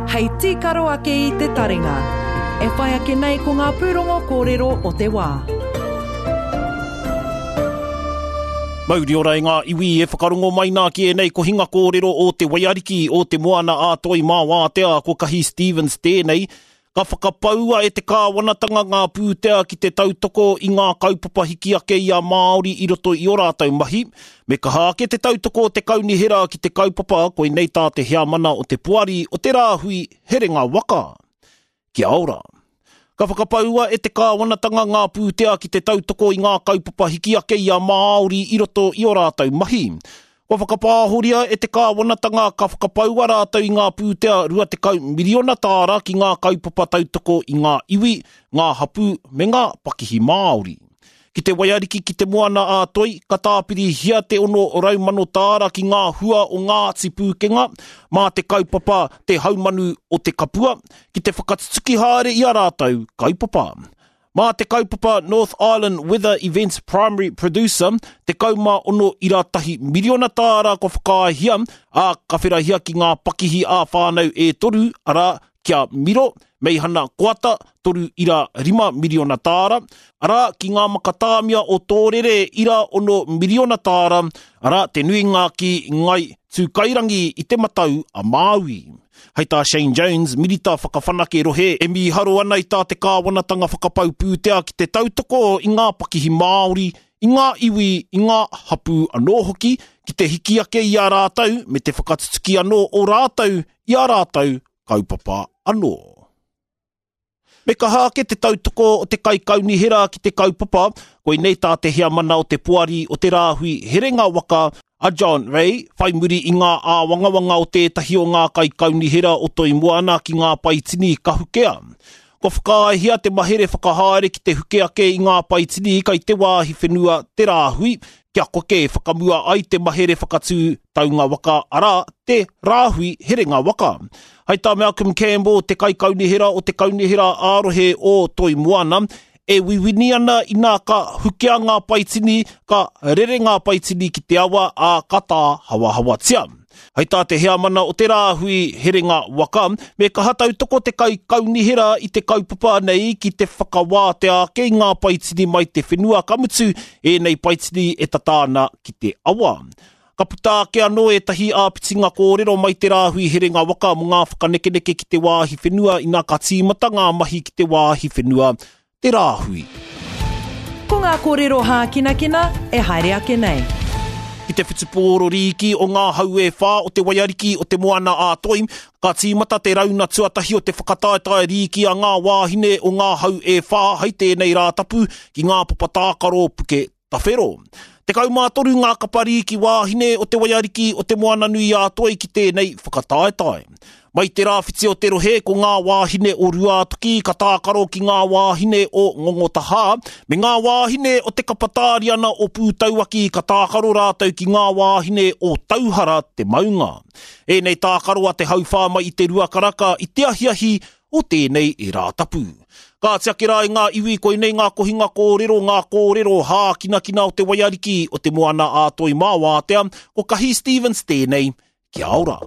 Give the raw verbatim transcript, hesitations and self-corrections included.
Hei tīkaro ake i te taringa. E whai ake nei ko ngā pūrongo kōrero o te wā. Mauri ora e ngā iwi e whakarongo mai nā ki ēnei kohinga kōrero o te Waiariki o te Moana a Toi mā Wātea ko Kahi Stevens tēnei. Ka whakapaua e te kāwanatanga ngā pūtea ki te tautoko i ngā kaupapa hiki ake i a Māori i roto i o rātou mahi. Me kaha ake te tautoko o te kaunihera ki te kaupapa koinei tā te heamana o te poari o te rāhui Herenga Waka. Kia ora. Ka whakapaua e te kāwanatanga ngā pūtea ki te tautoko i ngā kaupapa hiki ake i a Māori i roto i o rātou mahi. Kua whakapāhoria e te kāwanatanga ka whakapaua rātou i ngā pūtea rua tekau miriona tāra ki ngā kaupapa tautoko i ngā iwi, ngā hapū me ngā pakihi Māori. Ki te Waiariki ki te Moana a Toi, ka tāpirihia te ono rau mano tāra ki ngā hua o Ngāti Pūkenga, mā te kaupapa te haumanu o te kapua, ki te whakatutuki haere i a rātou kaupapa. Mā te kaupapa North Island Weather Events Primary Producer, tekau mā ono ira tahi miriona tāra kua whakaaehia, ā, ka wherahia ki ngā pakihi ā-whānau e toru, arā, kia Miro, Meihana Koata, toru ira rima miriona tāra, arā, ki ngā makatāmia o Tōrere ira ono miriona tāra, arā, te nuinga ki Ngai Tūkairangi i te Matau a Māui. Hei tā Shane Jones, minita whakawhanake rohe, e mīharo ana i tā te kāwanatanga whakapau pūtea ki te tautoko i ngā pakihi Māori, i ngā iwi, i ngā hapū anō hoki, ki te hiki ake i a rātou me te whakatutuki anō o rātou i a rātou kaupapa anō. Me kaha ake te tautoko o te kaikaunihera ki te kaupapa, koinei tā te heamana o te poari o te rāhui Herenga Waka a John Ray, whai muri i ngā āwangawanga o tētahi o ngā kaikaunihera o Toi Moana ki ngā paitini kahukea. Kua whakaaehia te mahere whakahaere ki te huke ake i ngā paitini kai te wāhi whenua te rāhui, kia koke whakamua ai te mahere whakatū taunga waka, arā, te rāhui Herenga Waka. Hei tā Malcolm Campbell, te kaikaunihera o te kaunihera ā-rohe o Toi Moana, e wiwini ana inā ka hukea ngā paitini, ka rere ngā paitini ki te awa, ā, ka tāhawahawatia. Hei tā te heamana o te rāhui Herenga Waka, me kaha tautoko te kaikaunihera i te kaupapa nei ki te whakawātea ake i ngā paitini mai te whenua, ka mutu ēnei paitini e tata ana ki te awa. Ka puta ake anō ētahi āpitinga kōrero mai te rāhui Herenga Waka mō ngā whakanekeneke ki te wāhi whenua inā ka tīmata ngā mahi ki te wāhi whenua te rāhui. Ko ngā kōrero hākinakina e haere ake nei. Ki te whutupōro rīki o ngā hau e whā o te Waiariki o te Moana a Toi, ka tīmata te rauna tuatahi o te whakataetae rīki a ngā wāhine o ngā hau e whā hei tēnei Rātapu ki ngā papa tākaro Puke Tawhero. Tekau mā toru ngā kapa rīki wāhine o te Waiariki o te Moana Nui a Toi ki tēnei whakataetae. Mai te rāwhiti o te rohe ko ngā wāhine o Ruātoki ka tākaro ki ngā wāhine o Ngongotahā, me ngā wāhine o te kapa tāriana o Pūtauaki ka tākaro rātou ki ngā wāhine o Tauhara te maunga. Ēnei tākaro a te hauwhā mai i te rua karaka i te ahiahi o tēnei e Rātapu. Ka tiaki rā i ngā iwi koinei ngā kohinga kōrero, ngā kōrero hākinakina o te Waiariki o te Moana a Toi mā Wātea, ko Kahi Stevens tēnei, kia ora.